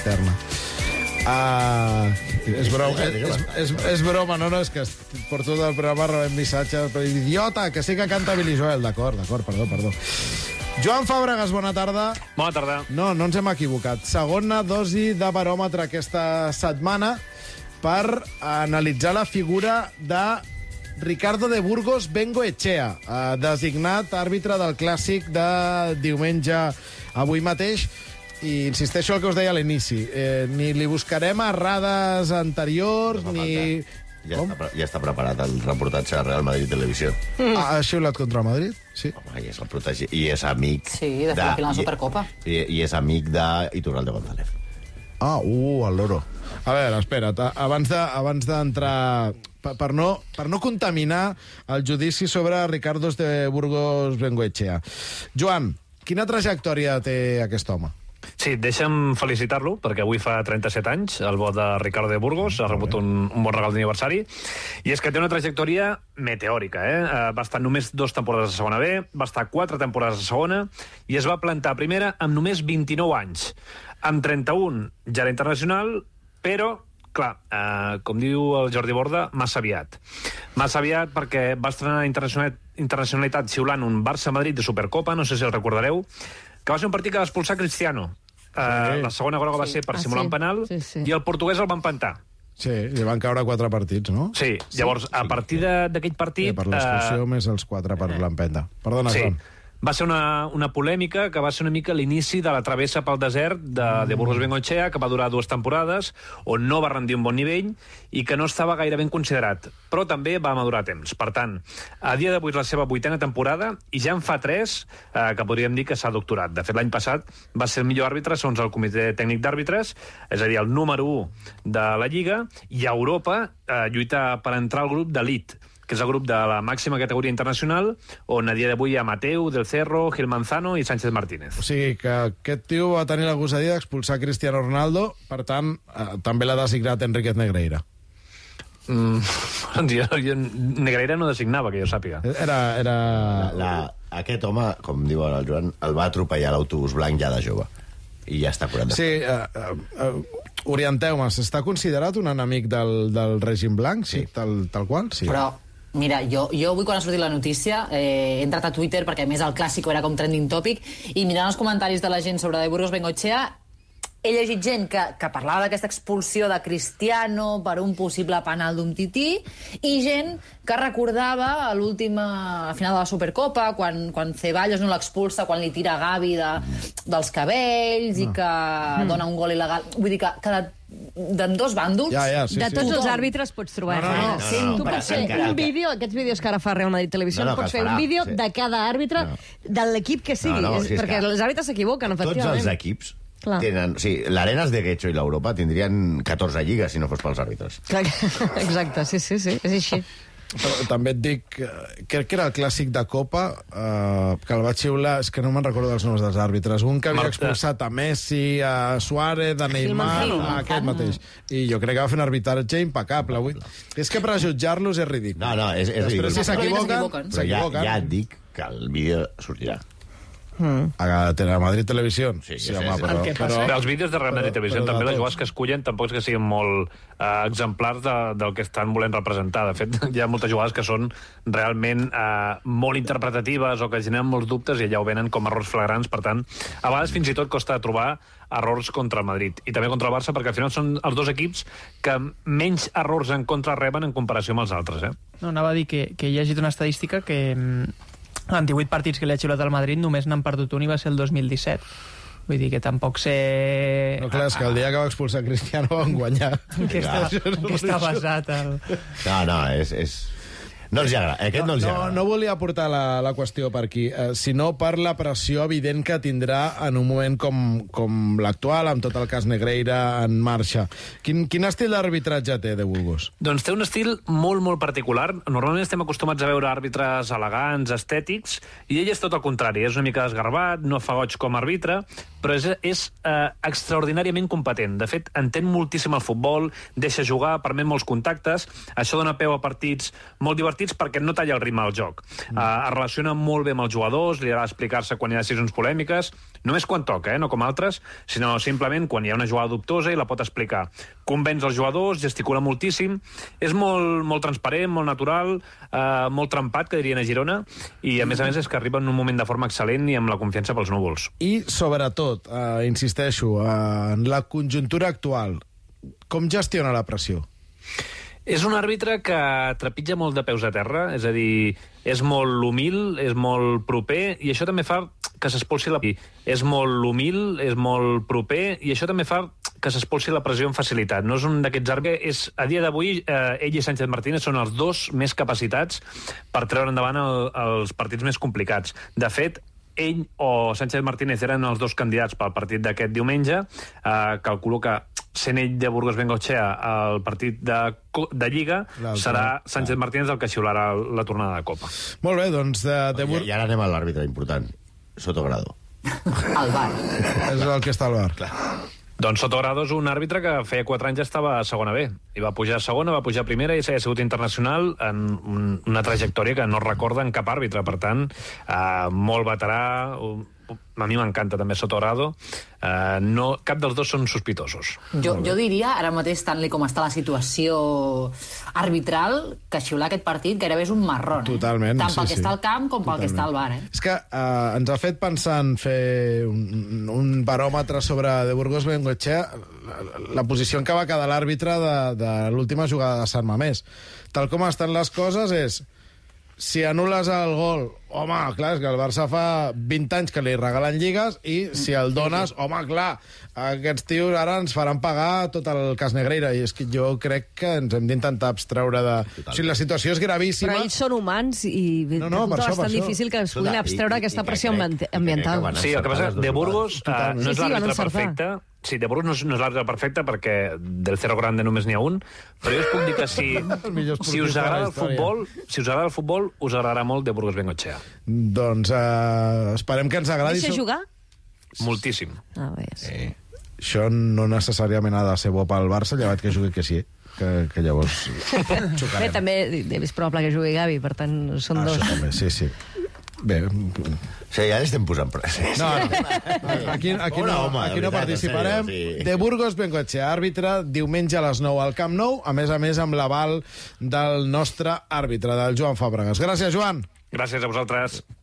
cisterna. És broma, no, és que per tot el programa rebem missatges, però idiota, que sí que canta Billy Joel. D'acord, perdó. Joan Fàbregas, bona tarda. Bona tarda. No ens hem equivocat. Segona dosi de baròmetre aquesta setmana per analitzar la figura de Ricardo de Burgos Bengoechea, designat àrbitre del clàssic de diumenge avui mateix. I insisteixo el que us deia a l'inici. Ni li buscarem errades anteriors, ni... Ja està preparat el reportatge de Real Madrid Televisió. Ha xiulat contra el Madrid? Sí. Home, i és el protegit. I és amic... Sí, de fer la final de la Supercopa. I és amic d'Iturralde González. El loro. A veure, espera't, abans d'entrar... Per no contaminar el judici sobre Ricardo de Burgos Bengoechea. Joan, quina trajectòria té aquest home? Sí, deixa'm felicitar-lo, perquè avui fa 37 anys, el bo de Ricardo de Burgos, ha rebut un bon regal d'aniversari, i és que té una trajectòria meteòrica, Va estar només 2 temporades a segona B, va estar 4 temporades a segona, i es va plantar a primera amb només 29 anys. Amb 31 ja era internacional, però, clar, com diu el Jordi Borda, massa aviat. Massa aviat perquè va estrenar internacionalitat xiulant un Barça-Madrid de Supercopa, no sé si el recordareu, que va ser un partit que va expulsar Cristiano. La segona groga va ser per simular un penal, i el portuguès el va empantar. Sí, li van caure 4 partits, no? Sí, llavors, a partir d'aquell partit... Per l'expulsió més els 4 per l'empenta. Perdona, Joan. Va ser una polèmica que va ser una mica l'inici de la travessa pel desert de Burgos Bengoechea, que va durar 2 temporades, on no va rendir un bon nivell i que no estava gaire ben considerat, però també va madurar temps. Per tant, a dia d'avui és la seva 8a temporada i ja en fa 3 que podríem dir que s'ha doctorat. De fet, l'any passat va ser el millor àrbitre segons el Comitè Tècnic d'Àrbitres, és a dir, el número 1 de la Lliga, i a Europa lluita per entrar al grup d'elit, que és el grup de la màxima categoria internacional, on a dia d'avui hi ha Mateu, Del Cerro, Gil Manzano i Sánchez Martínez. O sigui que aquest tio va tenir la gosadia d'expulsar Cristiano Ronaldo, per tant, també l'ha designat Enríquez Negreira. Negreira no designava, que jo sàpiga. Aquest home, com diu el Joan, el va atropellar l'autobús blanc ja de jove. I ja està curat. Sí, orienteu-me, s'està considerat un enemic del règim blanc? Sí, tal qual? Sí. Però, mira, jo avui quan ha sortit la notícia he entrat a Twitter, perquè a més el Clàssico era com trending topic, i mirant els comentaris de la gent sobre de Burgos Bengoechea, he llegit gent que parlava d'aquesta expulsió de Cristiano per un possible penal d'un tití, i gent que recordava a l'última final de la Supercopa, quan Ceballos no l'expulsa, quan li tira Gavi dels cabells i que dona un gol il·legal. Vull dir que d'ambdós bàndols... Sí, de tots els àrbitres pots trobar. Tu pots fer un vídeo, aquests vídeos que ara fa Real Madrid Televisió, pots fer un vídeo de cada àrbitre de l'equip que sigui, perquè els àrbitres s'equivoquen, efectivament. Tots els equips tenen... O sigui, l'Arenas de Guecho i l'Europa tindrien 14 lligues si no fos pels àrbitres. Exacte, sí, és així. Però també et dic, crec que era el clàssic de Copa, que el va xiular, és que no me'n recordo dels noms dels àrbitres, un que havia expulsat a Messi, a Suárez, a Neymar, a aquest mateix. I jo crec que va fer un arbitratge impecable. És que per jutjar-los és ridícul. No, és ridícul. Després, si s'equivoquen... Però ja et dic que el vídeo sortirà. A Madrid Televisió. Sí, però els vídeos de Real Madrid Televisió, també les jugades que escullen tampoc és que siguin molt exemplars del que estan volent representar. De fet, hi ha moltes jugades que són realment molt interpretatives o que generen molts dubtes i allà ho venen com errors flagrants. Per tant, a vegades fins i tot costa trobar errors contra el Madrid i també contra el Barça, perquè al final són els 2 equips que menys errors en contra reben en comparació amb els altres. No, anava a dir que he llegit una estadística que en 18 partits que li ha xiulat al Madrid només n'han perdut un i va ser el 2017. Vull dir que tampoc sé... No, clar, és que el dia que va expulsar Cristiano van guanyar. Que està basat el... No, és... No els agrada, aquest no els agrada. No volia portar la qüestió per aquí, sinó per la pressió evident que tindrà en un moment com l'actual, amb tot el cas Negreira en marxa. Quin estil d'arbitratge té de Burgos? Doncs té un estil molt, molt particular. Normalment estem acostumats a veure àrbitres elegants, estètics, i ell és tot el contrari. És una mica desgarbat, no fa goig com a àrbitre, però és extraordinàriament competent. De fet, entén moltíssim el futbol, deixa jugar, permet molts contactes, això dona peu a partits molt divertits perquè no talla el ritme del joc. Es relaciona molt bé amb els jugadors, li agrada explicar-se quan hi ha decisions polèmiques, només quan toca, no com altres, sinó simplement quan hi ha una jugada dubtosa i la pot explicar. Convenç els jugadors, gesticula moltíssim, és molt transparent, molt natural, molt trempat, que dirien a Girona, i a més és que arriba en un moment de forma excel·lent i amb la confiança pels núvols. I, sobretot, insisteixo, en la conjuntura actual, com gestiona la pressió? És un àrbitre que trepitja molt de peus a terra, és a dir, és molt humil, és molt proper, i això també fa que s'expulsi la... És molt humil, és molt proper, i això també fa que s'expulsi la pressió amb facilitat. No és un d'aquests àrbitres... A dia d'avui, ell i Sánchez Martínez són els dos més capacitats per treure endavant els partits més complicats. De fet, ell o Sánchez Martínez eren els dos candidats pel partit d'aquest diumenge. Calculo que sent ell de Burgos Bengoechea al partit de Lliga, serà Sánchez Martínez el que xiularà la tornada de Copa. Molt bé, doncs... I ara anem a l'àrbitre important, Sotogrado. Al bar. És el que està al bar. Clar. Doncs Sotogrado és un àrbitre que feia 4 anys ja estava a segona B. I va pujar a segona, va pujar a primera i s'ha sigut internacional en una trajectòria que no recorda en cap àrbitre. Per tant, molt veterà... A mi m'encanta també Sotogrado. Cap dels dos són sospitosos. Jo diria, ara mateix, Stanley, com està la situació arbitral, que xiular aquest partit gairebé és un marrón. Totalment, tant pel que està al camp com pel que està al bar. És que ens ha fet pensar en fer un baròmetre sobre De Burgos Bengoechea, la posició en què va quedar l'àrbitre de l'última jugada de Sant Mamés. Tal com estan les coses és... Si anules el gol, home, clar, és que el Barça fa 20 anys que li regalen lligues i si el dones, home, clar, aquests tios ara ens faran pagar tot el cas Negreira i és que jo crec que ens hem d'intentar abstreure de... O sigui, la situació és gravíssima. Però ells són humans i és bastant difícil que es puguin abstreure aquesta pressió ambiental. Sí, el que passa és que De Burgos no és l'àrbitre perfecte. Sí, De Burgos no és l'àrbitre perfecte perquè del Cerro Grande només n'hi ha un, però jo us puc dir que si us agrada el futbol, us agradarà molt De Burgos Bengoechea. Doncs esperem que ens agradi. Deixa jugar? Moltíssim. Això no necessàriament ha de ser bo pel Barça, llevat que jugui que sí, que llavors xocarem. Bé, també és probable que jugui Gavi, per tant són dos. Això també, sí. Bé... Sí, ja l'estem posant pressa. No. Aquí no participarem. De Burgos Bengoechea, àrbitre, diumenge a les 9 al Camp Nou, a més amb l'aval del nostre àrbitre, del Joan Fàbregas. Gràcies, Joan. Gràcies a vosaltres.